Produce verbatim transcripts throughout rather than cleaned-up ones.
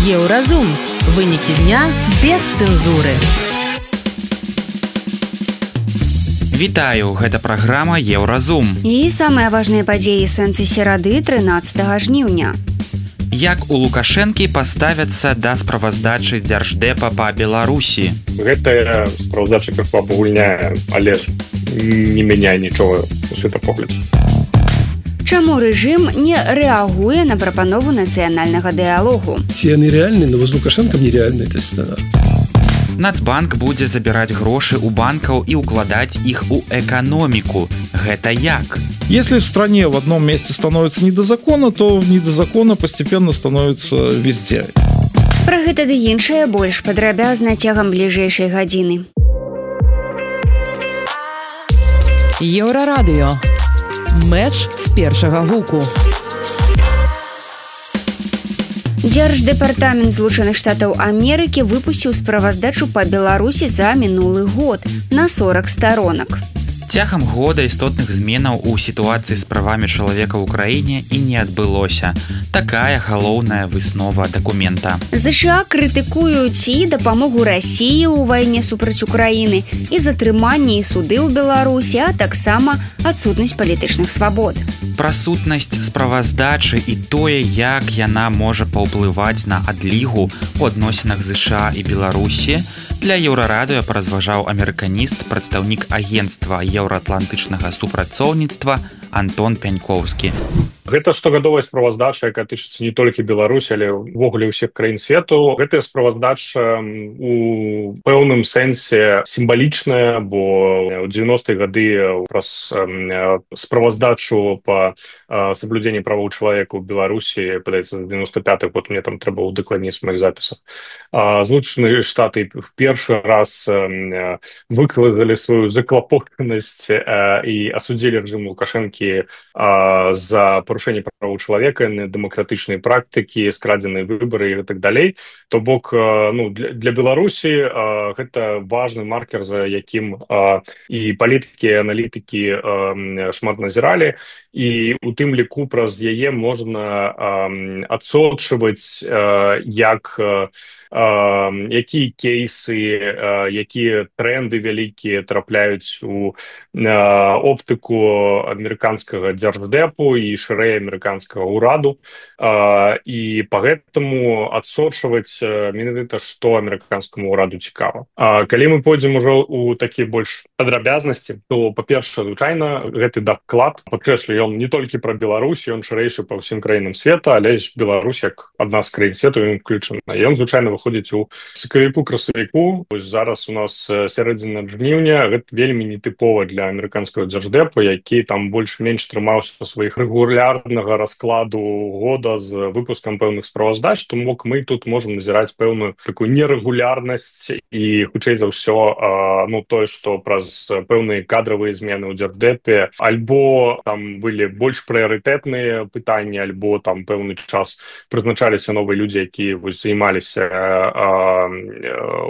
Еўразум. Вынікі дня без цэнзуры. Вітаю, гэта праграма Еўразум. І самыя важныя падзеі сэнсы серады трынаццатага жніўня. Як у Лукашэнкі паставяцца да справаздачы Дзярждэпа па Беларусі? Гэтая справаздача как пагульняе, але ж не мяняе нічога у светапоглядзе. Чаму рэжым не рэагуе на прапанову нацыянальнага дыялогу? Ці яны рэальны, но з Лукашэнкам нерэальны гэты сцэнар. Нацбанк будзе забіраць грошы ў банкаў і укладаць іх у эканоміку. Гэта як? Если в стране в одном месте становится не до закона, то не до закона постепенно становится везде. Пра гэта ды іншае больш падрабязна цягам бліжэйшай гадзіны. Еўрарадыё. Мэч з першага гуку. Дзярждэпартамент Злучаных Штатаў Амерыкі выпусціў справаздачу па Беларусі за мінулы год на сорок сторонак. Цягам года істотных зменаў у сітуацыі з правамі чалавека ў краіне і не адбылося. Такая галоўная выснова дакумента. ЗША крытыкуюць і дапамогу Расіі ў вайне супраць Украіны, і затрыманне і суды ў Беларусі, а таксама адсутнасць палітычных свабод. Пра сутнасць справаздачы і тое, як яна можа паўплываць на адлігу у адносінах ЗША і Беларусі, для Еўрарадыё паразважаў амерыканіст, прадстаўнік агенцтва еўраатлантычнага супрацоўніцтва Антон Пянькоўскі. Гэта штогадовая справаздача, якая тычыцца не толькі Беларусі, але ўвогуле ўсіх краін свету. Гэтая справаздача у пэўным сэнсе сімвалічная, бо ў дзевяностыя гады праз справаздачу па саблюдзенні правоў чалавека ў Беларусі, падаецца, з девяносто пятых год, мне там трэба удакладніць в моих запісах. Злучаныя Штаты в першы раз выказалі сваю заклапочанасць і асудзілі рэжым Лукашэнкі за парушэнне правоў чалавека, дэмакратычнай практыкі, скрадзеныя выбары і так далей. То бок, ну, для, для Беларусі а, гэта важны маркер, за якім а, і палітыкі, і аналітыкі а, шмат назіралі, і у тым ліку праз яе можна адсочваць, як а, якія кейсы, а, якія тренды вялікія трапляюць у а, оптыку амерыканскага дзярждэпу і шырэй амерыканскага ўраду, а, і па гэтаму адсочваць менавіта, што амерыканскаму ўраду цікава. А калі мы пойдзем ужо у такія больш падрабязнасці, то, па-першае, звычайна, гэты даклад, падкрэслю, ён не толькі пра Беларусь, ён шырэйшы па ўсім краінам света, але ж Беларусь, як адна з краін свету, ён уключана. Ён, звычайна, выходзіць у сакавіку-красавіку. Вось зараз у нас сярэдзіна жніўня, гэта вельмі нетыпова для амерыканскага дзярждэпа, які там больш-менш трымаўся сваіх рэгулярнага раскладу года з выпускам пэўных справаздач, то мог мы тут можам назіраць пэўную такую нерэгулярнасць і, хутчэй за ўсё, ну, тое, што праз пэўныя кадравыя змены ў дзярждэпе альбо там былі больш прыярытэтныя пытанні, альбо там пэўны час прызначаліся новыя людзі, якія вось займаліся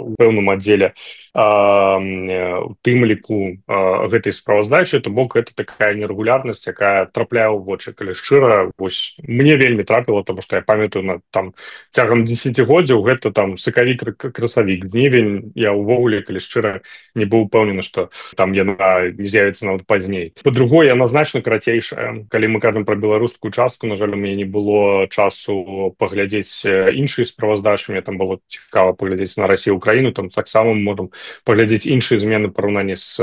у пэўным аддзеле, у тым ліку гэтай справаздачы, то бок гэта такая нерэгулярнасць, якая трапляе ў вочы. Калі шчыра, вось мне вельмі трапіла, таму што я памятаю, на там цягам дзесяцігоддзяў гэта там сакавік-красавік, жнівень, я ўвогуле, калі шчыра, не быў упэўнены, што там яна не з'явіцца нават пазней. Па-другое, яна значна карацейшая. Калі мы кажам пра беларускую частку, на жаль, у мяне не было часу паглядзець іншыя справаздачы, мне там было цікава паглядзець на Расію, Украіну, там таксама мы можам паглядзець іншыя змены параўнанні з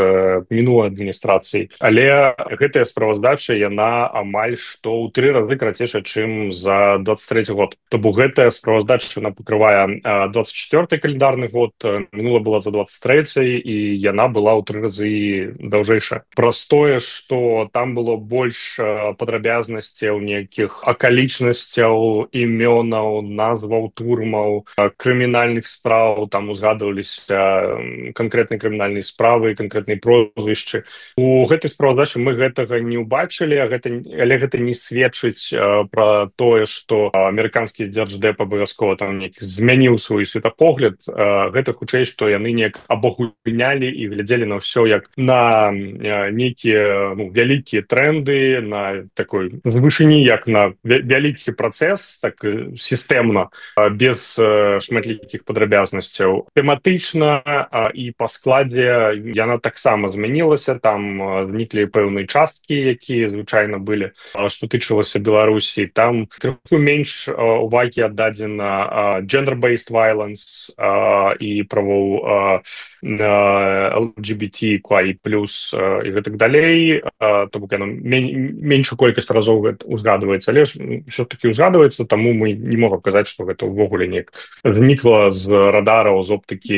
мінулай адміністрацыяй. Але гэтая справаздача, яна амаль што ў тры разы карацейшая, чым за двадцать трэці год. То бок гэтая справаздача, яна пакрывае двадцать чацвёрты календарны год, мінула была за двадцать трэці, і яна была ў тры разы даўжэйшая. Праз тое, што там было больш падрабязнасцяў, нейкіх акалічнасцяў, імёнаў, назваў турмаў, крымінальных спраў, там узгадываліся канкрэтныя крымінальныя справы, канкрэтныя прозвішчы. У гэтай справаздачы мы гэтага не ўбачылі, а гэта, але гэта не не сведчыць пра тое, што амерыканскі дзярждэп абавязкова там неяк змяніў свой светапогляд. Гэта хутчэй, што яны неяк абагульнялі і глядзелі на ўсё як на нейкія ну, вялікія тренды, на такой з вышыні, як на вялікі працэс, так сістэмна, без шматлікіх падрабязнасцяў. Тэматычна і па складзе яна таксама змянілася, там зніклі пэўныя часткі, якія звычайна былі, што тычылася Беларусі. Там крыху менш увагі аддадзена gender-based violence і правоў эл джі би ти кей плюс і гэтак далей, то бок яна меншую колькасць разоў узгадваецца, але ж ўсё-такі узгадваецца, таму мы не можам казаць, што гэта ўвогуле неяк знікла з радараў, з оптыкі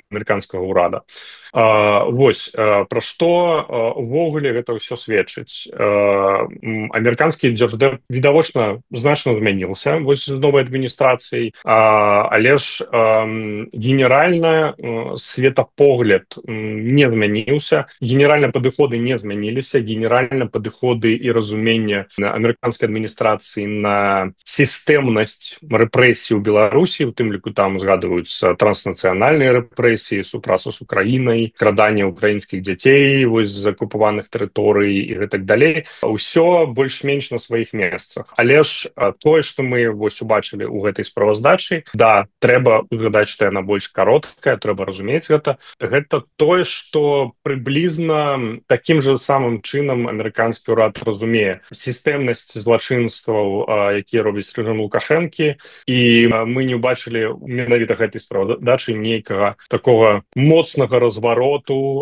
амерыканскага ўрада. Uh, вось, uh, пра што uh, увогуле гэта ўсё сведчыць. Uh, амерыканскі дзярждэп відавочна значна змяніўся вось з новай адміністрацыяй, uh, але ж uh, генеральна uh, светапогляд uh, не змяніўся, генеральна падыходы не змяніліся, генеральна падыходы і разуменне амерыканскай адміністрацыі на сістэмнасць рэпрэсій у Беларусі, у тым ліку там згадваюцца транснацыянальныя рэпрэсіі, супрацу з Украінай, крадання украінскіх дзяцей вось з акупаваных тэрыторый і гэтак далей. Усё больш-менш на сваіх месцах. Але ж тое, што мы вось убачылі ў гэтай справаздачы, да, трэба узгадаць, што яна больш кароткая, трэба разумець гэта. Гэта тое, што прыблізна такім жа самым чынам амерыканскі ўрад разумее сістэмнасць злачынстваў, якія робяць рэжым Лукашэнкі, і мы не ўбачылі менавіта гэтай справадачы нейкага такога моцнага развароту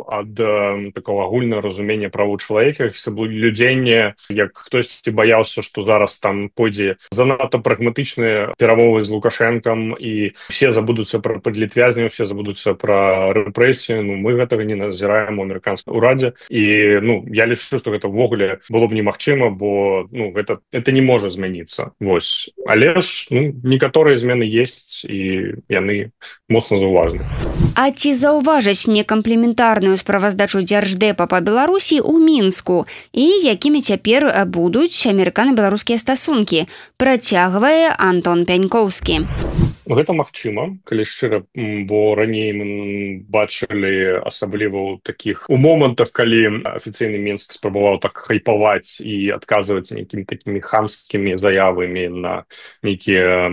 ад э, такого агульнага разумення правоў чалавека, саблюдзення, як хтосьці баяўся, што зараз там пойдзе занадта прагматычныя перамовы з Лукашэнкам і все забудуцца пра падлітвязняў, все забудуцца пра рэпрэсіі. Ну, мы гэтага не назіраем у амерыканскім урадзе. І ну, я лічу, што гэта ўвогуле было б немагчыма, бо ну, гэта, гэта не можа змяніцца. Вось. Але ж ну, некаторыя змены ёсць, і яны моцна заўважны. А ці заўважаць некамплементарную справаздачу дзярждэпа па Беларусі ў Мінску і якімі цяпер будуць амерыкана-беларускія стасункі, працягвае Антон Пянькоўскі. Гэта магчыма, калі шчыра, бо раней мы бачылі, асабліва ў такіх у момантах, калі афіцыйны Мінск спрабаваў так хайпаваць і адказваць нейкімі такімі хамскімі заявамі на нейкія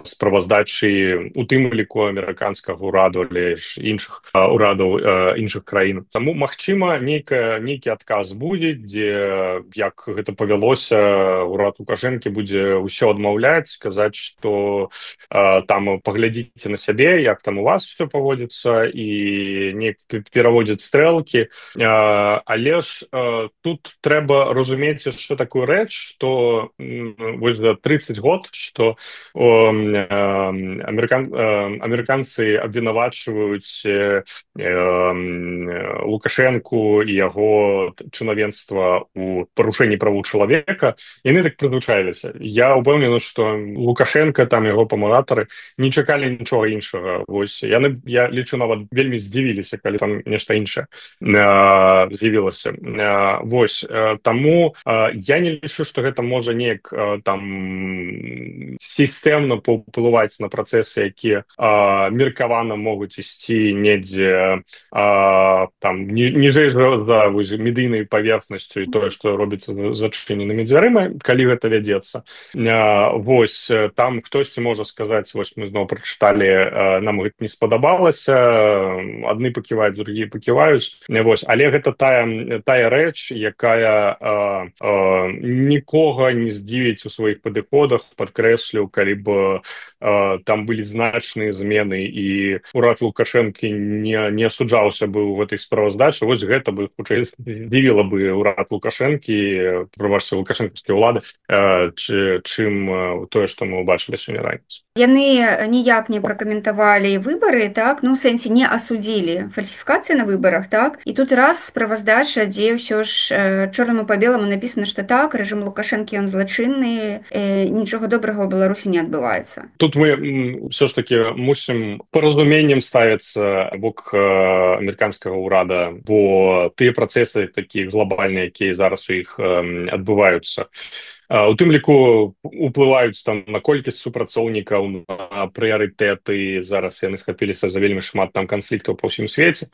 справаздачы, у тым ліку амерыканскага ўраду, але ж іншых ўрадаў іншых краін. Таму магчыма, нейкі, нейкі адказ будзе, дзе, як гэта павялося, ўрад Лукашэнкі будзе ўсё адмаўляць, сказаць, што там там паглядзіце на сябе, як там у вас все паводзіцца, і неяк пераводзяць стрэлкі. Але ж тут трэба разумець яшчэ такую рэч, што вось за тридцать год, што амерыкан... амерыканцы абвінавачваюць Лукашэнку і яго чынавенства ў парушэнні правоў чалавека, яны так прызвычаіліся. Я ўпэўнены, што Лукашенко, там яго памагатары не чакалі нічога іншага. Вось яны, я лічу, нават вельмі здзівіліся, калі там нешта іншае з'явілася. Вось таму я не лічу, што гэта можа неяк там сістэмна паўплываць на працэсы, якія меркавана могуць ісці недзе там ніжэй за медыйнай паверхнасцю і тое, што робіцца зачыненымі дзвярыма, калі гэта вядзецца. Вось там хтосьці можа сказаць, вось мы зноў прачыталі, нам гэта не спадабалася, адны паківаюць, другія паківаюць. Вось, але гэта тая, тая рэч, якая а, а, нікога не здзівіць у сваіх падыходах, падкрэслю, калі б а, там былі значныя змены і ўрад Лукашэнкі не, не асуджаўся бы ў гэтай справаздачы. Вось гэта бы хутчэй здзівіла бы ўрад Лукашэнкі, прабачце, лукашэнкаўскія ўлады, а, чы, чым тое, што мы ўбачылі сёння раніцай. Яны ніяк не пракаментавалі выбары, так, ну, у сэнсе не асудзілі фальсіфікацыі на выбарах, так, і тут раз справаздача, дзе ўсё ж э, чорнаму па беламу напісана, што так, рэжым Лукашэнкі, ён злачынны, э, нічога добрага ў Беларусі не адбываецца. Тут мы ўсё ж такі мусім паразуменнем ставіцца бок э, амерыканскага ўрада, бо тыя працэсы такія глобальныя, якія зараз у іх э, адбываюцца, у тым ліку уплываюць там на колькасць супрацоўнікаў, на прыярытэты. Зараз яны схапіліся за вельмі шмат там канфліктаў па ўсім свеце.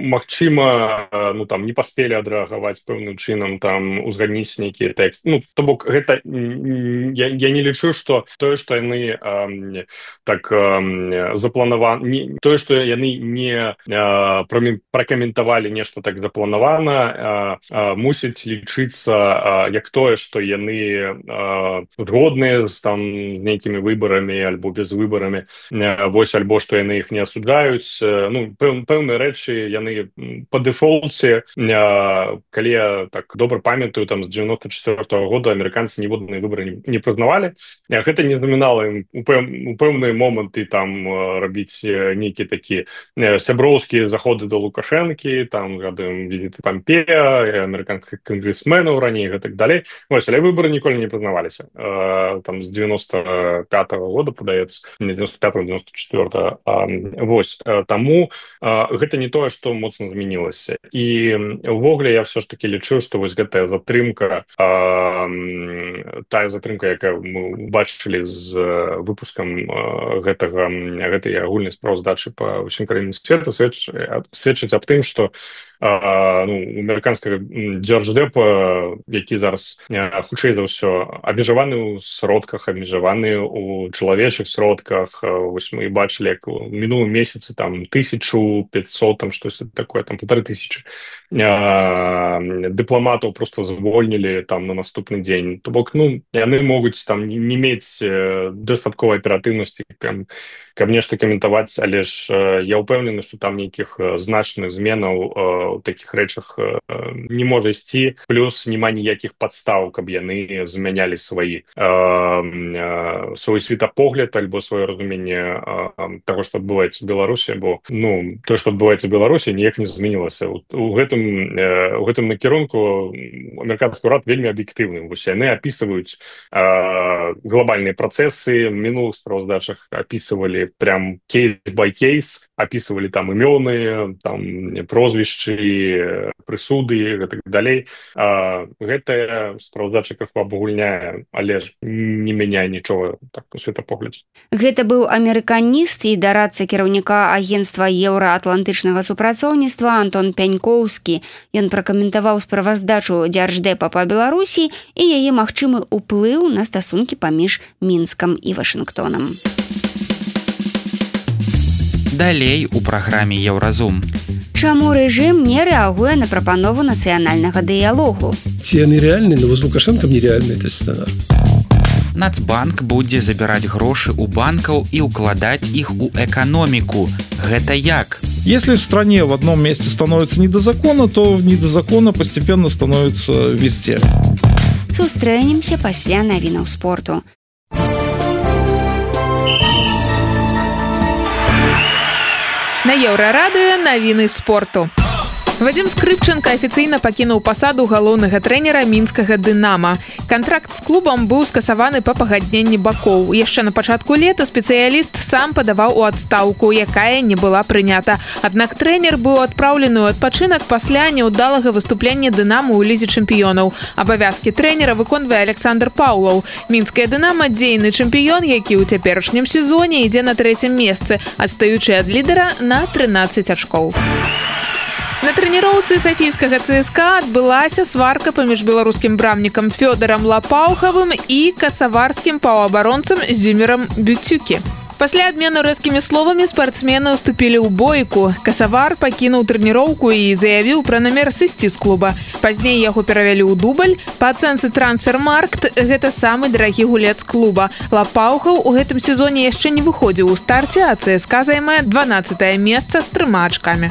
Магчыма, ну там не паспелі адрэагаваць пэўным чынам, там узгадніць нейкія тэксты. Ну, то бок гэта я, я не лічу, што тое, што яны э, так э, запланаваны, тое, што яны не э, пракаментавалі нешта так запланавана, э, э, мусіць лічыцца э, як тое, што яны э, згодныя з там нейкімі выбарамі альбо без выбарамі, э, вось альбо што яны іх не асуджаюць. Э, ну, пэў, пэўныя рэчы яны па дэфолце, э, калі я так добра памятаю, там з девяносто четвёртого года амерыканцы ніводныя выбары не, не прызнавалі. Гэта не замінала ім у, пэў, у пэўныя моманты там рабіць нейкія такі сяброўскія заходы до Лукашэнкі, там гадаем візіты Пампея, амерыканскіх кангрэсменаў раней і так далей. Вось, але выбары ніколі не прызнаваліся. Э, там з девяносто пятого года, падаецца, не девяносто пятого девяносто четвёртого. Э, вось, э, таму э, гэта не тое, што моцна змянілася. І увогуле я все ж таки лічу, што вось гэтая затрымка, э, тая затрымка, якая мы бачылі з выпускам э, гэтага, гэтай агульнай справаздачы па ўсім краінам свету, сведч, сведчыць аб тым, што Uh, ну, амерыканскага дзярждэпа, які зараз uh, хутчэй за ўсё абмежаваны ў сродках, абмежаваны ў чалавечых сродках. Uh, вось мы бачылі, як у мінулым месяцы там тысячу пятьсот, там штось такое, там полторы тысячи uh, дыпламатаў просто звольнілі там на наступны дзень. То бок, ну, яны могуць там не мець uh, дастатковай аператыўнасці, там, каб нешта каментаваць, але ж uh, я ўпэўнены, што там нейкіх uh, значных зменаў uh, у такіх рэчах э, не можа ісці, плюс няма ніякіх падстаў, каб яны змянялі сваі э, э, свой светапогляд альбо сваё разуменне э, таго, што адбываецца ў Беларусі, бо ну тое, што адбываецца ў Беларусі, ніяк не змянілася. У, у гэтым э, у гэтым накірунку амерыканскі ўрад вельмі аб'ектыўны. Вось яны апісваюць э, глобальныя працэсы, мінулых справаздачах апісвалі прям кейс бай кейс, апісвалі там імёны, там прозвішчы, прысуды і так далей. А, гэтая справаздача крыху абагульняе, але ж не мяняе нічога так у светапоглядзе. Гэта быў амерыканіст і дарадца кіраўніка агенцтва еўраатлантычнага супрацоўніцтва Антон Пянькоўскі. Ён пракаментаваў справаздачу дзярждэпа па Беларусі і яе магчымы ўплыў на стасункі паміж Мінскам і Вашынгтонам. Далей у праграме Еўразум. Чаму рэжым не рэагуе на прапанову нацыянальнага дыялогу? Ці яны рэальныя, но воз Лукашэнкам нерэальныя, то сцэнар. Нацбанк будзе забіраць грошы ў банкаў і укладаць іх у эканоміку. Гэта як? Если в стране в одном месте становится не до закона, то не до закона постепенно становится везде. Сустрэнемся пасля навінаў спорту. На Еўрарадыё навіны спорту. Вадзім Скрыпченко афіцыйна пакінуў пасаду галоўнага трэнера мінскага «Дынама». Кантракт з клубам быў скасаваны па пагадненні бакоў. Яшчэ на пачатку лета спецыяліст сам падаваў у адстаўку, якая не была прынята. Аднак трэнер быў адпраўлены ў адпачынак пасля няўдалага выступлення «Дынаму» ў лізе чэмпіёнаў. Абавязкі трэнера выконвае Александр Паўлаў. Мінскае «Дынамо» дзейны чэмпіён, які ў цяперашнім сезоне ідзе на трэцім месцы, адстаючы ад лідара на трынаццаць ачкоў. На трэніроўцы сафійскага ЦСКА адбылася сварка паміж беларускім брамнікам Фёдарам Лапаўхавым і касаварскім паўабаронцам Зюмерам Бюцюкі. Пасля абмену рэзкімі словамі спартсмены ўступілі ў бойку. Касавар пакінуў трэніроўку і заявіў пра намер сысці з клуба. Пазней яго перавялі ў дубль. Па ацэнцы Трансфермаркт гэта самы дарагі гулец клуба. Лапаўхаў у гэтым сезоне яшчэ не выходзіў у старце, а ЦСКА займае дванаццатае месца з трыма ачкамі.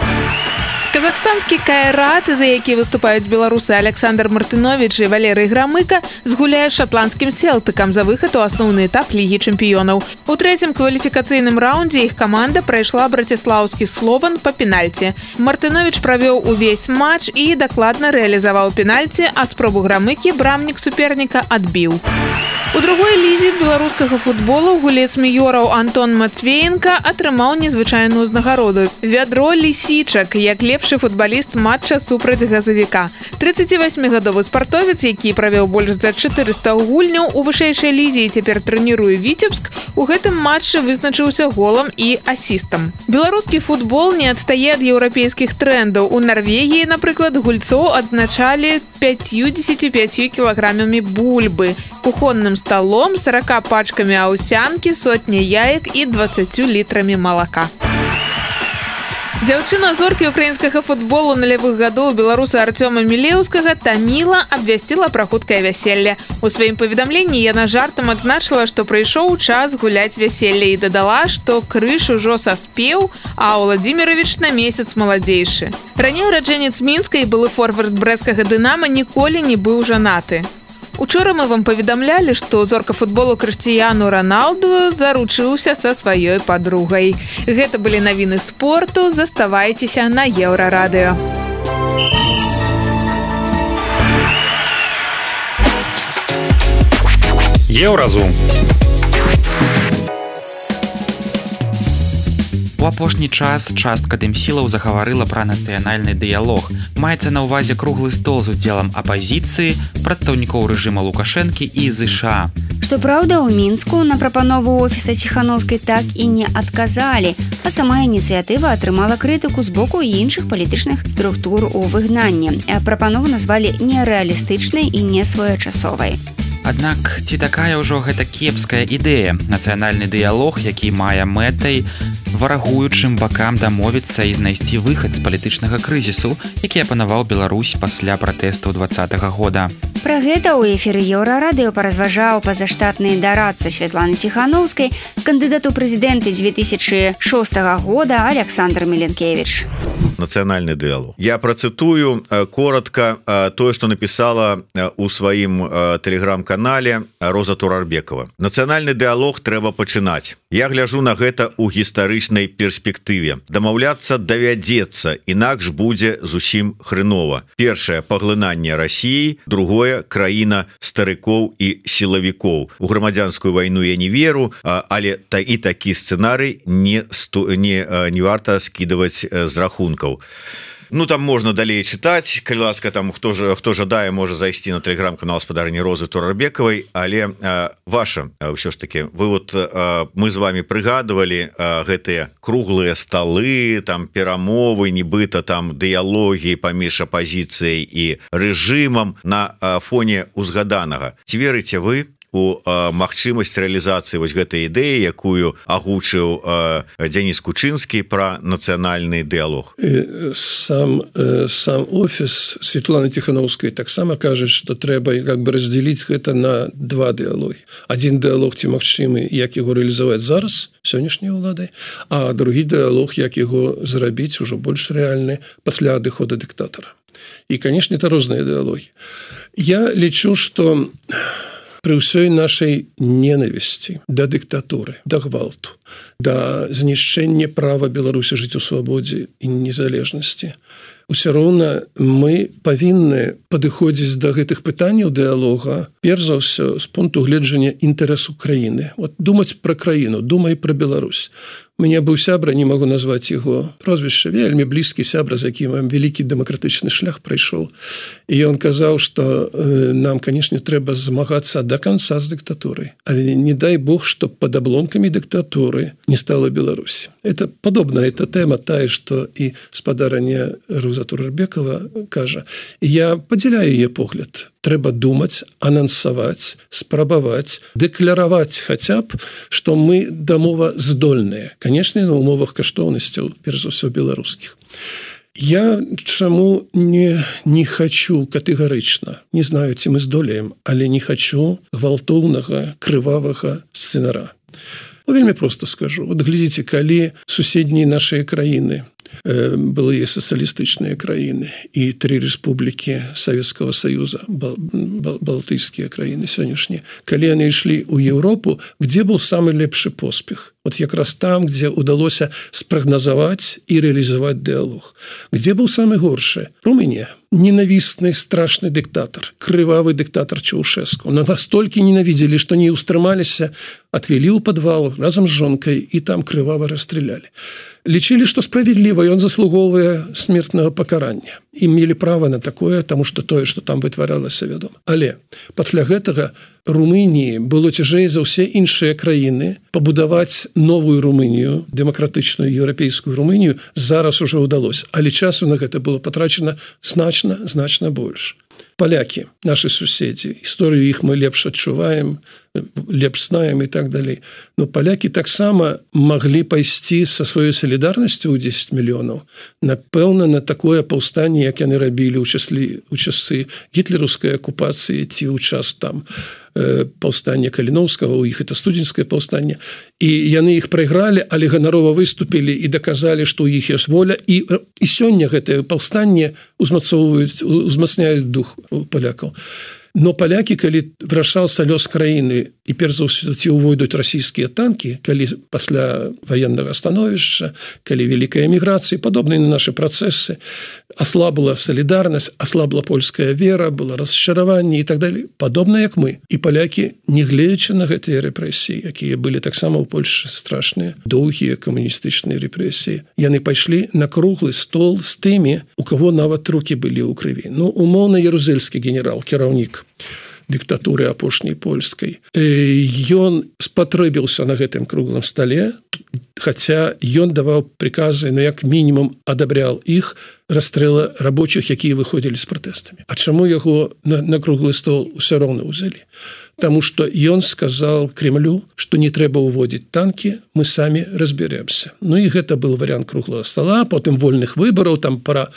Казахстанскі Кайрат, за які выступаюць беларусы Александр Мартынович і Валерый Грамыка, згуляе з шатландскім Селтыкам за выхад у асноўны этап Лігі чэмпіёнаў. У трэцім кваліфікацыйным раўндзе іх каманда прайшла браціслаўскі Слован па пенальці. Мартынович правёў увесь матч і дакладна рэалізаваў пенальці, а спробу Грамыкі брамнік суперніка адбіў. У другой лізе беларускага футболу гулец Міёраў Антон Матвеенка атрымаў незвычайную ўзнагароду. Вядро лісічак, як лепшы футбаліст матча супраць газавіка. трыццацівасьмігадовы спартовец, які правёў больш за чатырыста гульняў у вышэйшай лізе і цяпер трэніруе Віцебск, у гэтым матчы вызначыўся голам і асістам. Беларускі футбол не адстае ад еўрапейскіх трэндаў. У Нарвегіі, напрыклад, гульцоў адзначалі пяцьдзесят пяць кілаграмамі бульбы, кухонным столом, сорока пачками аўсянкі, сотня яек і двадцатью літрамі малака. Дзяўчына зоркі украінскага футболу нулявых гадоў беларуса Артёма Мілеўскага Таміла абвясціла пра хуткае вяселле. У сваім паведамленні яна жартам адзначыла, што прыйшоў час гуляць вяселле і дадала, што крыж ужо саспеў, а Владзіміровіч на месяц маладзейшы. Раней ураджэнец Мінска і былы форвард брэсцкага Дынама ніколі не быў жанаты. Учора мы вам паведамлялі, што зорка футболу Крыштыяну Роналду заручыўся са сваёй падругай. Гэта былі навіны спорту, заставайцеся на Еўрарадыё. Еўразум. У апошні час частка дэмсілаў загаварыла пра нацыянальны дыялог. Маецца на ўвазе круглы стол з удзелам апазіцыі, прадстаўнікоў рэжыма Лукашэнкі і ЗША. Што праўда, у Мінску на прапанову офіса Ціханаўскай так і не адказалі, а сама ініцыятыва атрымала крытыку з боку іншых палітычных структур у выгнанні. Прапанову назвалі нерэалістычнай і несвоечасовай. Аднак ці такая ўжо гэта кепская ідэя? Нацыянальны дыялог, які мае мэтай варагуючым бакам дамовіцца і знайсці выхад з палітычнага крызісу, які апанаваў Беларусь пасля пратэстаў двадцатага года. Пра гэта ў эфіры Еўрарадыё паразважаў пазаштатны дарадца Святланы Ціханаўскай, кандыдат у прэзідэнты дзве тысячы шостага года Александр Міленкевіч. Нацыянальны дыялог. Я працытую коротка тое, што напісала у сваім тэлеграм-канале Роза Турарбекова. Нацыянальны дыялог трэба пачынаць. Я гляжу на гэта ў гістарычнай перспектыве. Дамаўляцца давядзецца, інакш будзе зусім хрэнова. Першае паглынанне Расіі, другое краіна старыкоў і сілавікоў. У грамадзянскую вайну я не веру, але та і такі сцэнарый не, не, не варта скідаваць з рахункаў. Ну там можна далей чытаць, калі ласка, там хто ж хто жадае, можа зайсці на тэлеграм-канал гаспадарні Розы Турарбекавай, але а, ваша ўсё ж таки вы вот а, мы з вами прыгадывалі а, гэтыя круглыя сталы, там перамовы, нібыта там дыялогі паміж апазіцыяй і рэжымам на а, фоне узгаданага. Ці верыце вы у а, магчымасць рэалізацыі вось гэтай ідэі, якую агучыў а, Дзяніс Кучынскі пра нацыянальны дыялог? Сам, сам офіс Светланы Ціханаўскай таксама кажа, што трэба как бы раздзяліць гэта на два дыялогі. Адзін дыялог ці магчымы, як яго рэалізаваць зараз сённяшняй уладай, а другі дыялог, як яго зрабіць ужо больш рэальны пасля адыхода дыктатара. І, канешне, это розныя дыялогі. Я лічу, што при ўсёй нашай ненавісці да дыктатуры, да гвалту, да знішчэння права Беларусі жыць у свабодзе і незалежнасці, усё роўна мы павінны падыходзіць да гэтых пытанняў дыялога перш за ўсё з пункту гледжання інтарэсу краіны. Вот думаць пра краіну, думай пра Беларусь. У мяне быў сябра, не магу назваць яго прозвішча, вельмі блізкі сябра, з якім вялікі дэмакратычны шлях прайшоў. І ён казаў, што э, нам, канешне, трэба змагацца да канца з дыктатурай. Але не дай Бог, што пад абломкамі дыктатуры не стала Беларусь. Это падобна, это тэма тая, што і спадарня Роза Турарбекова кажа. Я падзяляю яе погляд. Трэба думаць, анансаваць, спрабаваць, дэкляраваць хаця б, што мы дамова здольныя. Канешне, на умовах каштоўнасцяў, перш за ўсё беларускіх. Я чаму не, не хочу катэгарычна, не знаю, ці мы здолеем, але не хочу гвалтоўнага, крывавага сцэнара. Ну, вельмі проста скажу. Вот глядзіце, калі суседнія нашыя краіны, былыя сацыялістычныя краіны і тры рэспублікі Савецкага Саюза, бал, бал, балтыйскія краіны сённяшнія, калі яны ішлі ў Еўропу, где был самы лепшы поспех? вот якраз там, где удалося спрагназаваць и реализовать диалог. Где был самый горший? Румыния. Ненавистный, страшный диктатор, кровавый диктатор Чаушеску. Но настолько ненавидели, что не устремались, отвели у подвал разом с жонкой и там кроваво расстреляли. Лечили, что справедливо, и он заслуговывая смертного покарания. Имели право на такое, потому что то, что там вытворялось, вядома. Але пасля гэтага Румынии было цяжэй за все іншыя краіны побудовать новую Румынию, демократичную европейскую Румынию, зараз уже удалось. Але часу на это было потрачено значно, значно больше. Поляки, наши суседи, историю их мы лепш адчуваем, лепш знаем и так далее. Но поляки таксама могли пайсці со своей солидарностью у десять миллионов, напэўна, на такое паўстанне, як яны рабілі ў часлі у часы гітлераўскай акупацыі ці ў час там паўстання Каліноўскага, у іх это студзеньскае паўстанне, і яны іх прайгралі, але ганарова выступілі і даказалі, што ў іх ёсць воля, і, і сёння гэтае паўстанне узмацоўваюць, узмацняюць дух палякаў. Но поляки, калі вырашаўся лёс краіны і перш за ўсё ці ўвойдуць расійскія танкі, калі пасля военного становішча, калі вялікая эміграцыя, падобныя на наши працэсы, ослабла солидарность, ослабла польская вера, было расчараванне и так далее, падобна як мы. І поляки, не гледзячы на гэтыя рэпрэсіі, якія былі таксама ў Польшы страшныя, доўгія камуністычныя рэпрэсіі, яны пайшлі на круглы стол з тымі, у кого нават руки былі ў крыві. Ну, умоўна, ярузельскі генерал, кіраўнік диктатуры апошняй польскай. Ён спатрэбіўся на гэтым круглым столе, хотя ён даваў приказы, но як мінімум адабрял іх расстрела рабочих, якія выходзілі з пратэстамі. А чаму яго на, на круглы стол усё роўна ўзялі? Таму што ён сказал Кремлю, што не трэба ўводзіць танкі, мы самі разберемся. Ну і гэта был вариант круглого стола, потым вольных выбораў, там пара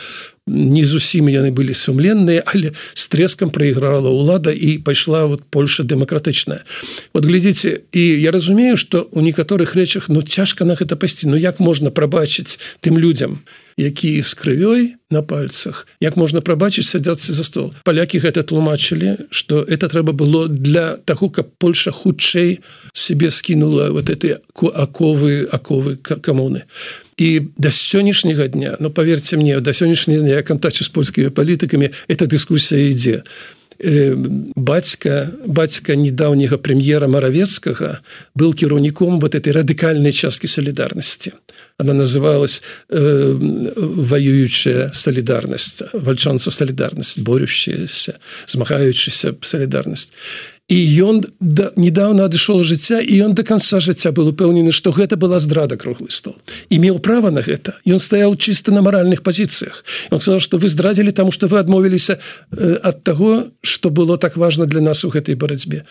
не зусім яны былі сумленныя, але с трэскам праіграла ўлада і пайшла вот Польша дэмакратычная. Вот глядзіце, і я разумею, што у некаторых рэчах ну цяжка на гэта пайсці. Ну як можна прабачыць тым людзям, якія з крывёй на пальцах, як можна прабачыць садзяцца за стол. Палякі гэта тлумачылі, што это трэба было для таго, каб Польша хутчэй себе скінула вот эти аковы, аковы камуны. И до сённяшняга дня, ну поверьте мне, до сённяшняга дня я контактую с польскими политиками, эта дискуссия ідзе. Бацька, бацька недавнего премьера Моровецкого был кіраўніком вот этой радикальной части солидарности. Она называлась э, воюющая солидарность, вальчанца солидарность, борющаяся, змагаючаяся солидарность. И он да, недавно адышоў жыцця, и он до конца жыцця был упэўнены, что гэта была здрада круглый стол. Имел право на это. И он стоял чисто на моральных позициях. Он сказал, что вы здрадили, потому что вы адмовились э, от того, что было так важно для нас у этой борьбе.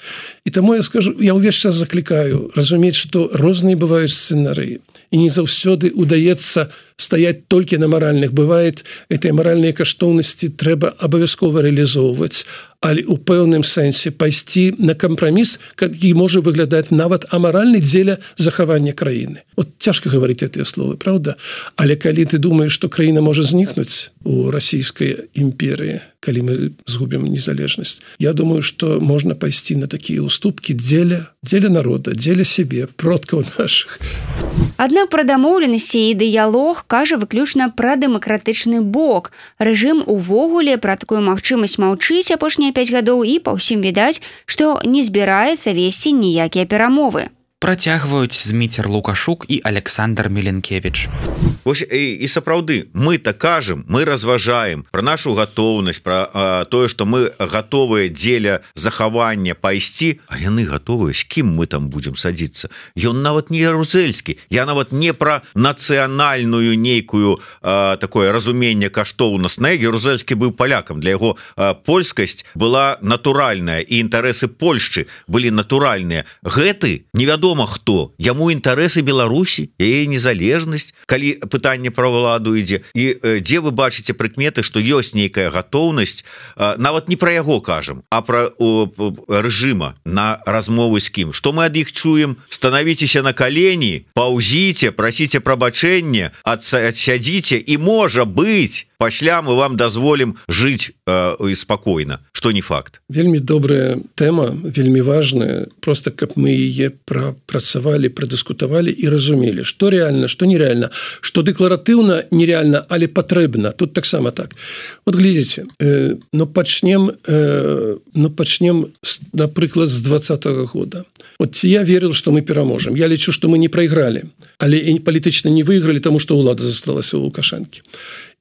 И тому я скажу, я увесь час закликаю разуметь, что розныя бывают сценарии. И не заўсёды удаецца стаять только на моральных. Бывает, этой моральные каштоўнасці трэба абавязкова реализовывать, але у пэўным сэнсе пайсці на компромисс, які можа выглядаць нават амаральны дзеля захавання краіны. Вот цяжка говорить гэтыя словы, правда? Але калі ты думаешь, что краіна можа знікнуць у расійскай імперыі, калі мы згубім незалежнасць, я думаю, что можно пайсці на такія уступки дзеля, дзеля народа, дзеля себе, продкаў наших. Аднак пра дамоўленасці і дыялог кажа выключна пра дэмакратычны бок. Рэжым увогуле пра такую магчымасць маўчыць апошнія пяць гадоў і па ўсім відаць, што не збіраецца весці ніякія перамовы. Працягваюць Зміцер Лукашук і Александр Меленкевич. Вось, і, і сапраўды, мы-то кажам, мы разважаем пра нашу гатоўнасць, пра а, тое, што мы гатовыя дзеля захавання пайсці, а яны гатовыя, з кім мы там будзем садзіцца. Ён нават не ярузельскі, я нават не пра нацыянальную нейкую а, такое разуменне каштоўнаснае. Ярузельскі быў палякам, для яго а, польскасць была натуральная, і інтарэсы Польшчы былі натуральныя. Гэты невядома хто, яму інтарэсы Беларусі, яе незалежнасць, калі пытанне пра ўладу ідзе, і э, дзе вы бачыце прыкметы, што ёсць нейкая гатоўнасць, э, нават не пра яго кажам, а пра о, рэжыма на размовы з кім. Што мы ад іх чуем? Станавіцеся на калені, паўзіце, прасіце прабачэння, адсядзіце, і можа быць, пасля мы вам дазволім жыць і спакойна, што не факт. Вельмі добрая тэма, вельмі важная, просто каб мы яе прапрацавалі, прадыскутавалі і разумелі, што рэальна, што нерэальна, што дэкларатыўна нерэальна, але патрэбна. Тут таксама так. Вот глядзіце, э, ну пачнем, э, ну пачнем, напрыклад, з двадцатага года. Вот я верил, что мы пераможем. Я лічу, что мы не проиграли, але и палітычна не выиграли, тому что улада засталась у Лукашенко.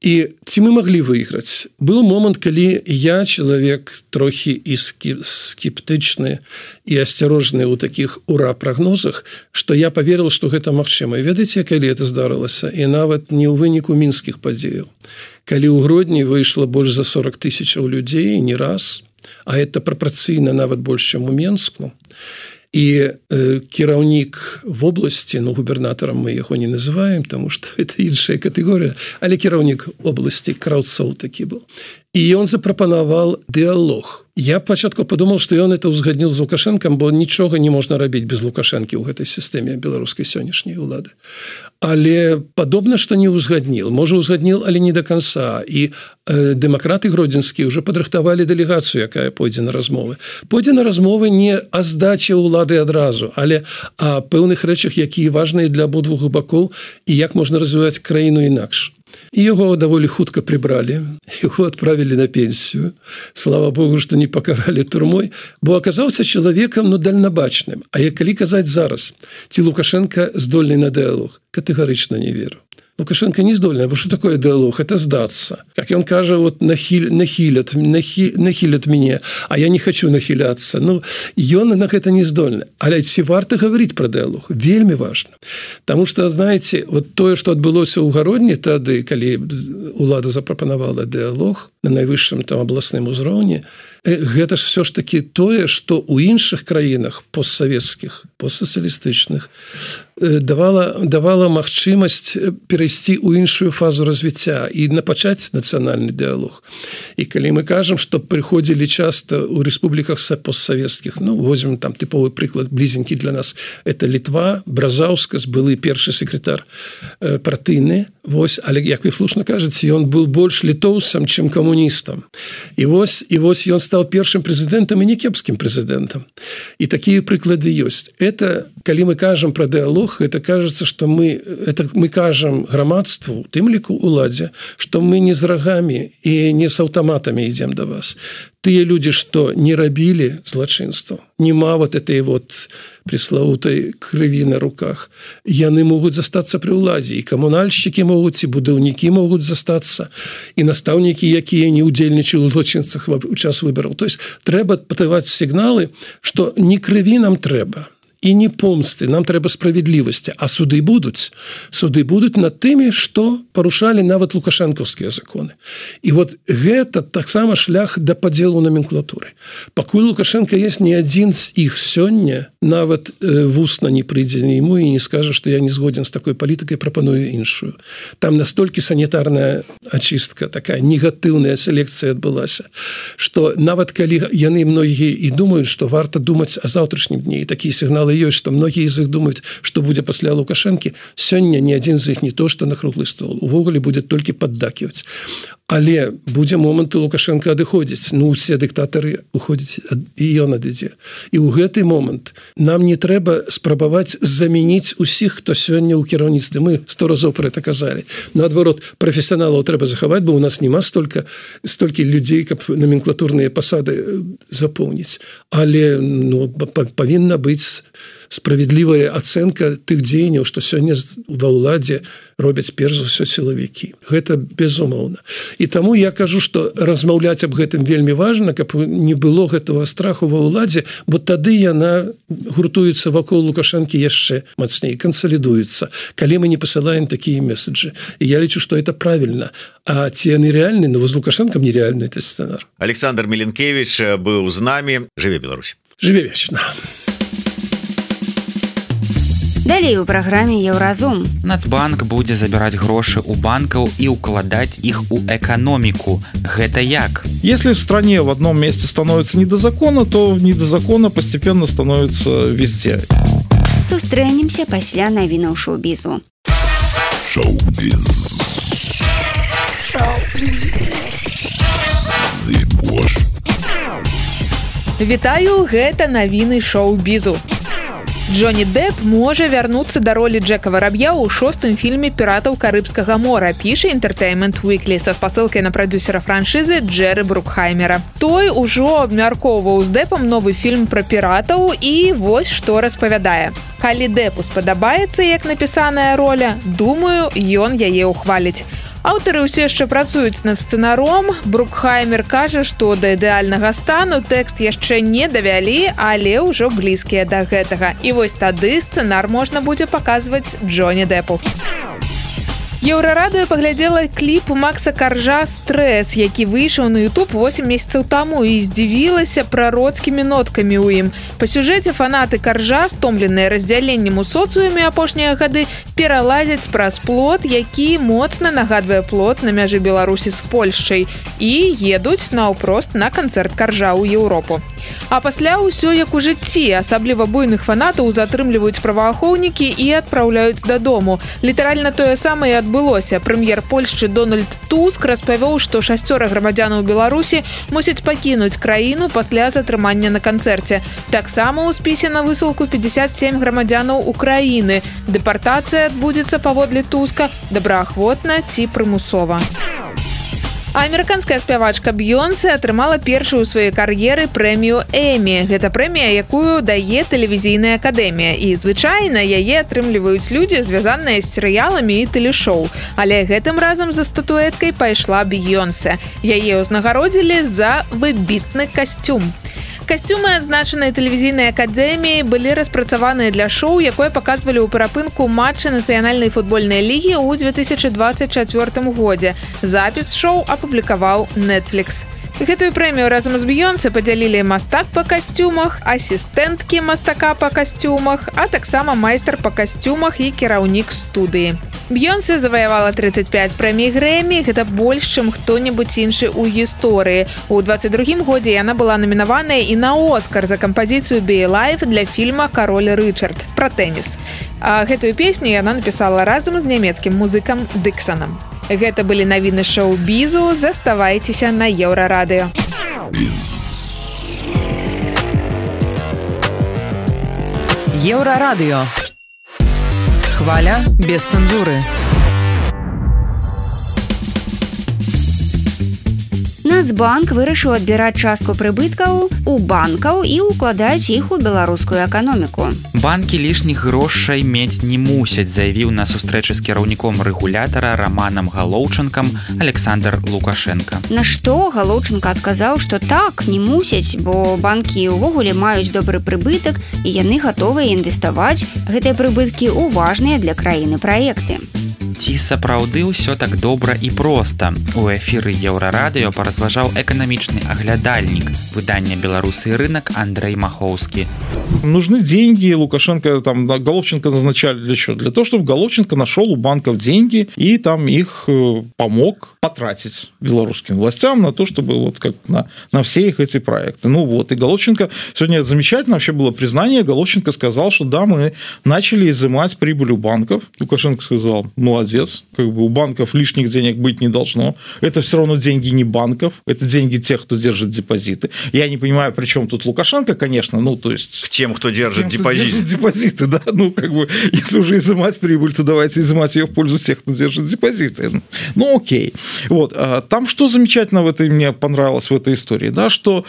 И ці мы могли выиграть? Был момент, калі я, человек трохи и скептычны и осторожный у таких ура-прогнозах, что я поверил, что гэта магчыма. И ведаеце, калі это здарылася? И нават не ў выніку мінскіх падзеяў. Калі ў Гродні выйшло больш за сорок тысячаў людей, не раз, а это прапорцыйна нават больш, чым у Менску, и э, кіраўнік в области, ну, губернатором мы яго не называем, потому что это іншая категория, але кіраўнік области Краўцоў такі был. И он запропановал диалог. Я пачатку подумал, что он это узгаднил с Лукашенком, бо ничего не можно робить без Лукашенки в этой системе белорусской сённяшняй улады. Але подобно, что не узгаднил. Может, узгаднил, але не до конца. И э, демократы гродзенские уже подрыхтовали делегацию, якая пойдзе на размовы. Пойдзе на размовы не о сдаче улады адразу, але о пэўных рэчах, якія важныя для абодвух бакоў и як можно развивать краіну інакш. И его довольно хутко прибрали, его отправили на пенсию. Слава Богу, что не покарали турмой, бо оказался человеком, ну, дальнобачным. А я калі казаць зараз, ці Лукашенко здольный на диалог, категорично не верю. Лукашенко не здольный, бо что такое диалог? Это сдаться. Как он каже, вот нахиль, нахилят, нахи, нахилят меня, а я не хочу нахиляться. Ну, ён на это не здольный. Але ці варта говорить про диалог? Вельми важно. Потому что, знаете, вот то, что отбылося ў Гародні тады, калі улада запропанавала диалог на найвышшым там областным узроўні, гэта ж все ж таки тое, что у іншых краінах постсоветских, постсоциалистычных давала, давала магчымасць перайсці ў іншую фазу развіцця і напачаць нацыянальны дыалог. І калі мы кажам, што прыходзілі часта ў рэспубліках постсоветских, ну, возьмем там тыповы прыклад блізенькі для нас, это Літва, Бразаўскас, былы першы секретар э, партыйны, вось, але, як вы слушна кажаце, ён был больш літоўцам, чым камуністам. І вось, і вось ён стал першым прэзідэнтам і не кепскім прэзідэнтам. І такія прыклады ёсць. Это, калі мы кажам пра дыалог, это кажется, что мы, это мы кажам грамадству, тым ліку уладзе, что мы не з рагамі і не з аўтаматамі ідзем да вас. Тыя людзі, што не рабілі злачынства, нема вот этой вот преславутай крыві на руках, яны могуць застацца пры ўладзе, і камунальшчыкі могуць, і будаўнікі могуць застацца, і настаўнікі, якія не ўдзельнічаюць у злачынствах у час выбараў. То есть трэба падаваць сігналы, што не крыві нам трэба, і не помсты, нам трэба справядлівасці, а суды будуць. Суды будуць над тымі, што парушалі нават лукашэнкаўскія законы. І вот гэта таксама шлях да падзелу номенклатуры. Пакуль Лукашенко есть, ні адзін з іх сёння нават э, вусна не прыйдзе нему і не скажа, што я не згоден з такой палітыкай, прапаную іншую. Там настолькі санітарная ачыстка, такая негатыўная селекцыя адбылася, што нават калі яны многія і думаюць, што варта думаць о заўтрашнім дні, і такія сігналы ёсць, што многія з іх думаюць, што будзе пасля Лукашэнкі, сёння ні адзін з іх не то, што на круглы стол. Увогуле будзе толькі паддаківаць. Але будзе момант, Лукашенко адыходзіць. Ну, усе дыктатары уходзяць, і ён адыдзе. І ў гэты момант нам не трэба спрабаваць замяніць усіх, хто сёння ў кіраўніцтве. Мы сто разоў пра гэта казалі. Наадварот, прафесіяналаў трэба захаваць, бо ў нас няма столькі, столькі людзей, каб номенклатурныя пасады запоўніць. Але ну, павінна быць справядлівая ацэнка тых дзеянняў, што сёння ва ўладзе робяць перш за ўсё сілавікі. Гэта безумоўна. І таму я кажу, што размаўляць аб гэтым вельмі важна, каб не было гэтага страху ва ўладзе, бо тады яна гуртуецца вакол Лукашэнкі яшчэ мацней, кансалідуецца, калі мы не пасылаем такія месаджы. І я лічу, што это правільна. А ці яны рэальны? Ну, з Лукашэнкам нереальны этот сцэнар. Александр Меленкевич быў з намі. Жыве Беларусь. Жыве вечна. Далей у праграме Еўразум. Нацбанк будзе забіраць грошы ў банкаў і укладаць іх у эканоміку. Гэта як? Если в стране в одном месте становится не до закона, то не до закона постепенно становится везде. Сустрэнемся пасля навінаў шоу-бізу. Шоу-біз. Шоу-біз. Сош. Вітаю, гэта навіны шоу-бізу. Джонні Депп можа вярнуцца да ролі Джека Вараб'я ў шостым фільме «Піратаў Карыбскага мора», піша Entertainment Weekly са спасылкай на прадзюсера франшызы Джэры Брукхаймера. Той ужо абмяркоўваў з Деппам новы фільм пра піратаў і вось што распавядае. Калі Деппу спадабаецца, як напісаная роля, думаю, ён яе ўхваліць. Аўтары ўсе яшчэ працуюць над сцэнаром. Брукхаймер кажа, што да ідэальнага стану тэкст яшчэ не давялі, але ўжо блізкія да гэтага. І вось тады сцэнар можна будзе паказваць Джонні Деппу. Еўрарадыё паглядзела кліп Макса Каржа «Стрэс», які выйшаў на YouTube восемь месяцаў таму і здзівілася прароцкімі ноткамі ў ім. Па сюжэце фанаты Каржа, стомленыя раздзяленнем у соцыуме апошнія гады, пералазяць праз плот, які моцна нагадвае плот на мяжы Беларусі з Польшчай, і едуць наўпрост на канцэрт Каржа ў Еўропу. А пасля ўсё як у жыцці, асабліва буйных фанатаў затрымліваюць праваахоўнікі і адпраўляюць дадому. Літаральна тое самае адбылося. Прэм'ер Польшчы Дональд Туск распавёў, што шасцёра грамадзянаў Беларусі мусяць пакінуць краіну пасля затрымання на канцэрце. Таксама ў спісе на высылку пятьдесят семь грамадзянаў Украіны. Дэпартацыя адбудзецца паводле Туска добраахвотна ці прымусова. А амерыканская спявачка Б'ёнсе атрымала першую ў сваёй кар'еры прэмію Эмі. Гэта прэмія, якую дае тэлевізійная акадэмія. І звычайна яе атрымліваюць людзі, звязаныя з серыяламі і тэлешоу. Але гэтым разам за статуэткай пайшла Б'ёнсе. Яе ўзнагародзілі за выбітны касцюм. Касцюмы адзначанай тэлевізійнай акадэміі былі распрацаваныя для шоу, якое паказвалі ў перапынку матча нацыянальнай футбольнай лігі ў две тысячы двадцать чацвёртым годзе. Запіс шоу апублікаваў Netflix. Гэтую прэмію разам з Б'ёнсе падзялілі мастак па касцюмах, асістэнткі мастака па касцюмах, а таксама майстар па касцюмах і кіраўнік студыі. Б'ёнсе заваявала тридцать пять прэмій Грэмі, гэта больш, чым хто-небудзь іншы ў гісторыі. У двадцать другім годзе яна была намінаваная і на Оскар за кампазіцыю «Be Alive» для фільма «Кароль Рычард» пра тэніс. А гэтую песню яна напісала разам з нямецкім музыкам Дыксанам. Гэта былі навіны шоу-бізу, заставайцеся на Еўрарадыё. Еўрарадыё. Хваля без цэнзуры. Нацбанк вырашыў адбіраць частку прыбыткаў у банкаў і укладаць іх у беларускую эканоміку. Банкі лішніх грошай мець не мусяць, заявіў на сустрэчы з кіраўніком рэгулятара Раманам Галоўчынкам Александр Лукашенко. На што Галоўчынка адказаў, што так, не мусяць, бо банкі ўвогуле маюць добры прыбытак і яны гатовыя інвеставаць гэтыя прыбыткі ў важныя для краіны праекты. Ці сапраўды ўсё так добра і проста? У эфіры Еўрарадыё паразважаў эканамічны аглядальнік выдання «Беларусы и рынок» Андрей Маховский. Нужны деньги. Лукашенко, там, Головченко назначали для чего? Для того, чтобы Головченко нашел у банков деньги и там их помог потратить белорусским властям на то, чтобы вот как на, на все их эти проекты. Ну вот, и Головченко, сегодня замечательно вообще было признание, Головченко сказал, что да, мы начали изымать прибыль у банков. Лукашенко сказал, молодец, как бы у банков лишних денег быть не должно. Это все равно деньги не банков, это деньги тех, кто держит депозиты. Я не понимаю, при чем тут Лукашенко, конечно, ну то есть... К тем, кто держит тем, депозиты. Кто держит депозиты, да, ну как бы, если уже изымать прибыль, то давайте изымать ее в пользу тех, кто держит депозиты. Ну окей. Вот, там что замечательно в этой, мне понравилось в этой истории, да, что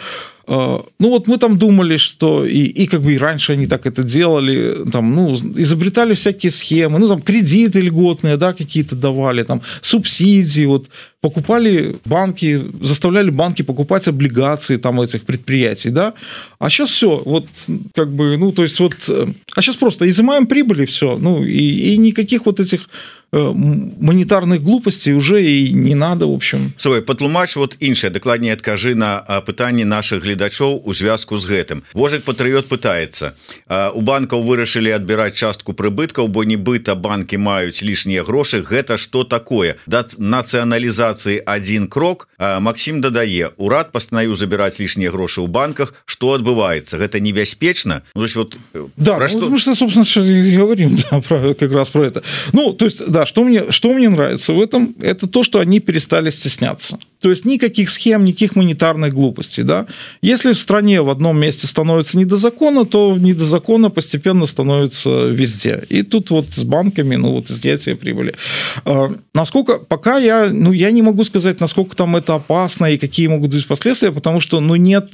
ну вот мы там думали, что и, и как бы и раньше они так это делали, там, ну, изобретали всякие схемы, ну, там, кредиты льготные, да, какие-то давали, там, субсидии, вот, покупали банки, заставляли банки покупать облигации там этих предприятий, да, а сейчас все, вот, как бы, ну, то есть вот, а сейчас просто изымаем прибыль и все, ну, и, и никаких вот этих монетарных глупостей уже и не надо, в общем. Слухай, патлумач вот іншае, дакладней адкажы на пытанні наших гледачоў у звязку з гэтым. Вожык Патрыёт пытаецца, у банкаў вырашылі адбіраць частку прыбыткаў, бо нібыта банкі маюць лішнія грошы, гэта што такое? Да нацыяналізацыі адзін крок. Максим дадае, урад пастанавіў забіраць лішнія грошы ў банках, што адбываецца? Гэта небяспечна? Ну, то есть вот, да, про ну, что... мы что, собственно, сейчас и говорим, да, про, как раз про это. Ну, то есть, да, что мне, что мне нравится в этом, это то, что они перестали стесняться. То есть никаких схем, никаких монетарных глупостей. Да? Если в стране в одном месте становится не до закона, то не до закона постепенно становится везде. И тут вот с банками, ну вот изъятие прибыли. Насколько, пока я, ну я не могу сказать, насколько там это опасно и какие могут быть последствия, потому что, ну нет...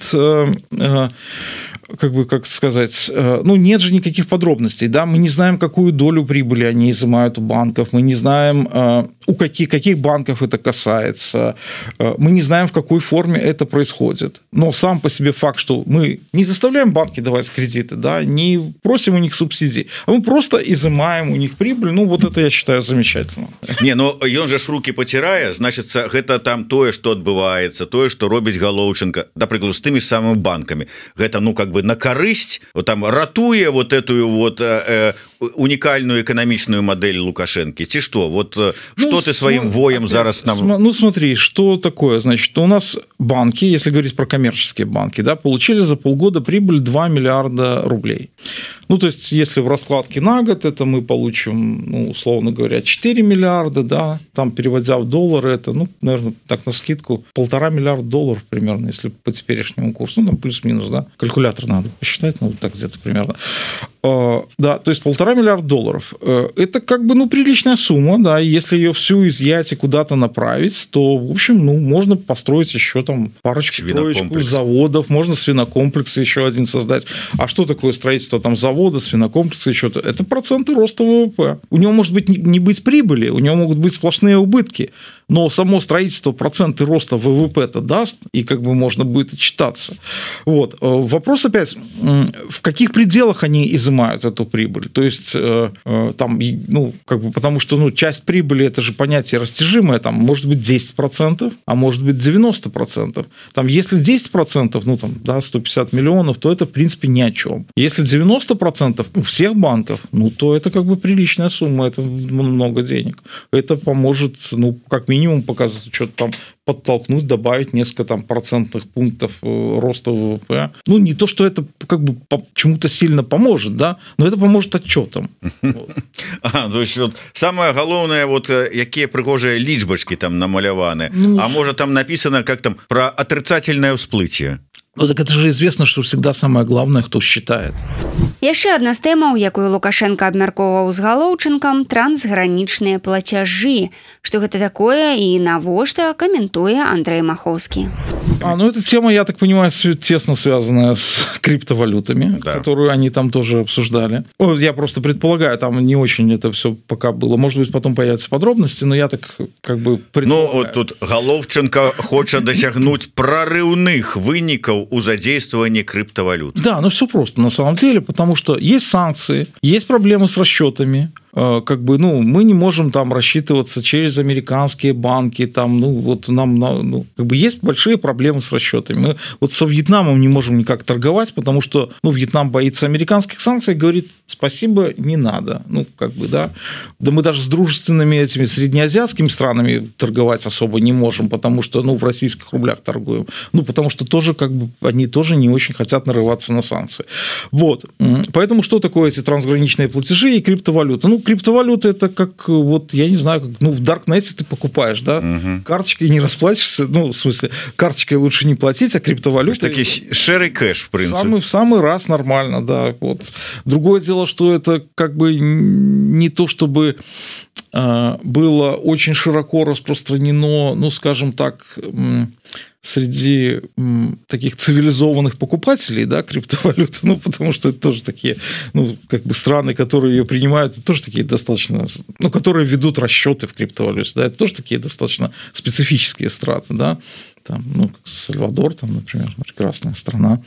как бы, как сказать, ну, нет же никаких подробностей, да, мы не знаем, какую долю прибыли они изымают у банков, мы не знаем, у каких, каких банков это касается, мы не знаем, в какой форме это происходит, но сам по себе факт, что мы не заставляем банки давать кредиты, да, не просим у них субсидий, а мы просто изымаем у них прибыль, ну, вот это я считаю замечательно. Не, ну, ён же ж руки потирая, значит, гэта там тое, что отбывается, тое, что робіць Галоўченко, например, с теми же самыми банками, гэта, ну, как бы на корысть, вот там ратуя вот эту вот э, уникальную экономичную модель Лукашенко, ці что, вот ну, что ты своим воем опять, зараз нам... Ну смотри, что такое, значит, у нас банки, если говорить про коммерческие банки, да, получили за полгода прибыль два миллиарда рублей. Ну, то есть, если в раскладке на год, это мы получим, ну, условно говоря, четыре миллиарда, да, там, переводя в доллары, это, ну, наверное, так навскидку, полтора миллиарда долларов примерно, если по теперешнему курсу, ну, там плюс-минус, да, калькулятор надо посчитать, ну, так где-то примерно. Да, то есть полтора миллиарда долларов. Это как бы, ну, приличная сумма, да, и если ее всю изъять и куда-то направить, то, в общем, ну, можно построить еще там парочку заводов, можно свинокомплекс еще один создать. А что такое строительство там завода, свинокомплекса, еще то? Это проценты роста ВВП. У него может быть не быть прибыли, у него могут быть сплошные убытки, но само строительство проценты роста ВВП-то даст, и как бы можно будет отчитаться. Вот. Вопрос опять, в каких пределах они изымают эту прибыль? То есть, там, ну, как бы, потому что, ну, часть прибыли, это же понятие растяжимое, там, может быть, десять процентов, а может быть, девяносто процентов. Там, если десять процентов, ну, там, да, сто пятьдесят миллионов, то это, в принципе, ни о чем. Если девяносто процентов у всех банков, ну, то это, как бы, приличная сумма, это много денег. Это поможет, ну, как минимум, минимум показать, что-то там подтолкнуть, добавить несколько там процентных пунктов роста ВВП. Ну, не то, что это как бы чему-то сильно поможет, да, но это поможет отчетам. А, то есть, вот, самое главное, вот, какие пригожие личбочки там намаляваны, ну, а может там написано, как там, про отрицательное всплытие. Ну, так это же известно, что всегда самое главное, кто считает. Яшчэ адна з тэмаў, якую Лукашенко абмяркоўваў з Галоўчынкам, трансгранічныя плацяжы. Што гэта такое і навошта, каментуе Андрей Маховский. А, ну, эта тема, я так понимаю, тесно связанная с криптовалютами, да, которую они там тоже обсуждали. Ну, я просто предполагаю, там не очень это все пока было. Может быть, потом появятся подробности, но я так как бы предполагаю. Ну, вот тут Галоўченко хочет досягнуть прорывных выников у задействования криптовалют. Да, ну все просто на самом деле, потому что есть санкции, есть проблемы с расчетами, как бы, ну, мы не можем там рассчитываться через американские банки, там, ну, вот нам, ну, как бы есть большие проблемы с расчетами. Мы вот со Вьетнамом не можем никак торговать, потому что, ну, Вьетнам боится американских санкций и говорит, спасибо, не надо. Ну, как бы, да. Да мы даже с дружественными этими среднеазиатскими странами торговать особо не можем, потому что, ну, в российских рублях торгуем. Ну, потому что тоже, как бы, они тоже не очень хотят нарываться на санкции. Вот. Поэтому что такое эти трансграничные платежи и криптовалюты? Ну, криптовалюта это как, вот, я не знаю, как, ну, в Даркнете ты покупаешь, да, угу. Карточкой не расплатишься, ну, в смысле, карточкой лучше не платить, а криптовалюта... Такие шерый кэш, в принципе. Самый, в самый раз нормально, да. Вот. Другое дело, что это как бы не то, чтобы было очень широко распространено, ну, скажем так, среди таких цивилизованных покупателей, да, криптовалюты, ну, потому что это тоже такие, ну, как бы страны, которые ее принимают, это тоже такие достаточно, ну, которые ведут расчеты в криптовалюте, да, это тоже такие достаточно специфические страны, да, там, ну, как Сальвадор, там, например, прекрасная страна,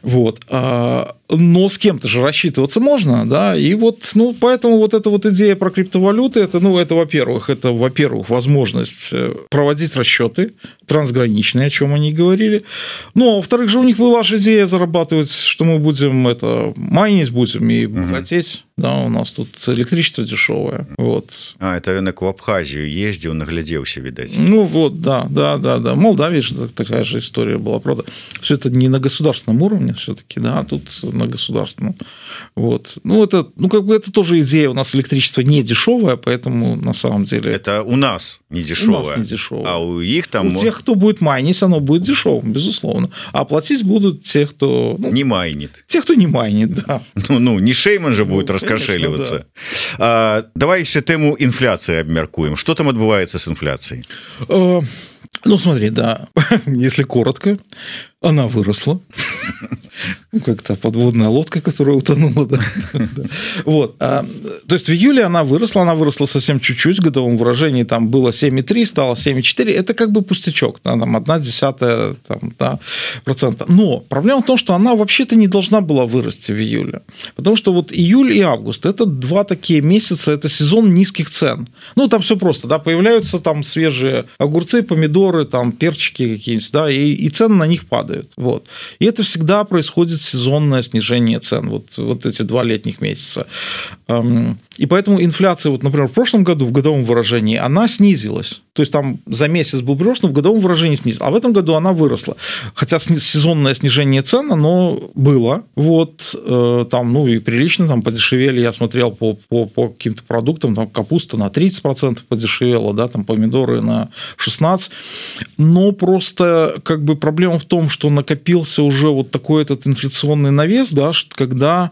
вот, но с кем-то же рассчитываться можно, да, и вот, ну, поэтому вот эта вот идея про криптовалюты, это, ну, это, во-первых, это, во-первых, возможность проводить расчеты трансграничные, о чем они говорили, ну, а во-вторых же у них была же идея зарабатывать, что мы будем это майнить будем и богатеть, да, у нас тут электричество дешевое, вот. А, это рынок в Абхазию ездил, нагляделся, видать. Ну, вот, да, да, да, да. Молдавия же такая же история была, правда. Все это не на государственном уровне все-таки, да, а тут на государственном. Вот. Ну, это, ну, как бы это тоже идея, у нас электричество не дешевое, поэтому на самом деле... Это у нас не дешевое. У нас не дешевое. А у их там... У тех, кто будет майнить, оно будет дешевым, безусловно. А платить будут те, кто... Ну, не майнит. Те, кто не майнит, да. Ну, ну не Шейман же будет ну, раскошеливаться. Конечно, да. а, давай еще тему инфляции обмяркуем. Что там отбывается с инфляцией? А, ну, смотри, да, если коротко, она выросла. Ну, как-то подводная лодка, которая утонула. Да, да. Вот. А, то есть в июле она выросла, она выросла совсем чуть-чуть, в годовом выражении там было семь и три, стало семь и четыре. Это как бы пустячок, да, там одна десятая там, да, процента. Но проблема в том, что она вообще-то не должна была вырасти в июле. Потому что вот июль и август – это два такие месяца, это сезон низких цен. Ну, там все просто, да, появляются там свежие огурцы, помидоры, там перчики какие-нибудь, да, и, и цены на них падают. Вот. И это всегда происходит сезонное снижение цен, вот, вот эти два летних месяца. И поэтому инфляция, вот, например, в прошлом году в годовом выражении она снизилась. То есть там за месяц был прирост, но в годовом выражении снизилась. А в этом году она выросла. Хотя сезонное снижение цен, оно было. Вот там, ну и прилично там подешевели. Я смотрел по, по, по каким-то продуктам, там капуста на тридцать процентов подешевела, да, там помидоры на шестнадцать процентов. Но просто как бы проблема в том, что накопился уже вот такой этот инфляционный навес, да, когда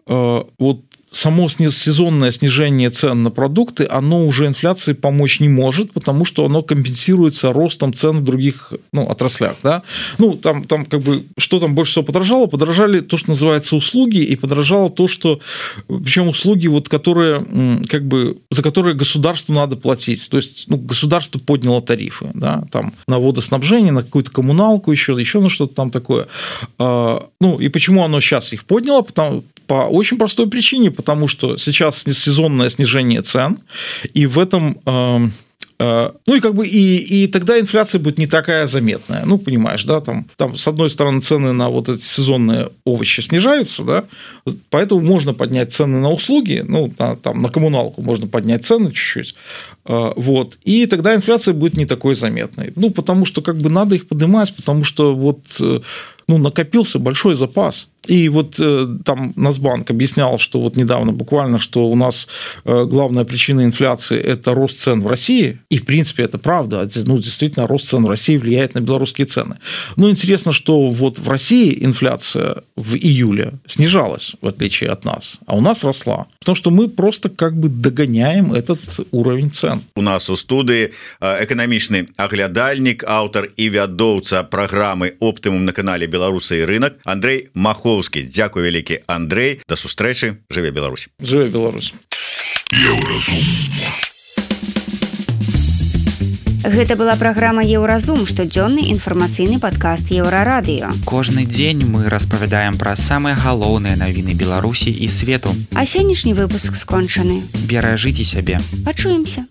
э, вот само сезонное снижение цен на продукты, оно уже инфляции помочь не может, потому что оно компенсируется ростом цен в других, ну, отраслях. Да? Ну, там, там как бы, что там больше всего подорожало? Подорожали то, что называется услуги, и подорожало то, что... Причем услуги, вот, которые, как бы, за которые государству надо платить. То есть, ну, государство подняло тарифы, да? Там, на водоснабжение, на какую-то коммуналку, еще, еще на что-то там такое. Ну, и почему оно сейчас их подняло? Потому по очень простой причине, потому что сейчас сезонное снижение цен, и в этом... Э, э, ну, и как бы и, и тогда инфляция будет не такая заметная. Ну, понимаешь, да, там, там с одной стороны цены на вот эти сезонные овощи снижаются, да, поэтому можно поднять цены на услуги, ну, на, там, на коммуналку можно поднять цены чуть-чуть, э, вот, и тогда инфляция будет не такой заметной. Ну, потому что как бы надо их поднимать, потому что вот... Э, ну, накопился большой запас. И вот э, там Нацбанк объяснял, что вот недавно буквально, что у нас э, главная причина инфляции – это рост цен в России. И, в принципе, это правда. Ну, действительно, рост цен в России влияет на белорусские цены. Но интересно, что вот в России инфляция в июле снижалась, в отличие от нас, а у нас росла. Потому что мы просто как бы догоняем этот уровень цен. У нас у студии экономичный оглядальник, автор и вядоўца программы «Оптимум» на канале «Беларусы и рынок» Андрей Маховский. Дякую вялікі, Андрей. До сустрэчы. Жыве Беларусь. Жыве Беларусь. Гэта была праграма «Еўразум», штодзённы інфармацыйны падкаст Еўрарадыё. Кожны дзень мы распавядаем пра самыя галоўныя навіны Беларусі і свету. А сённяшні выпуск скончаны. Беражыце сябе. Пачуемся.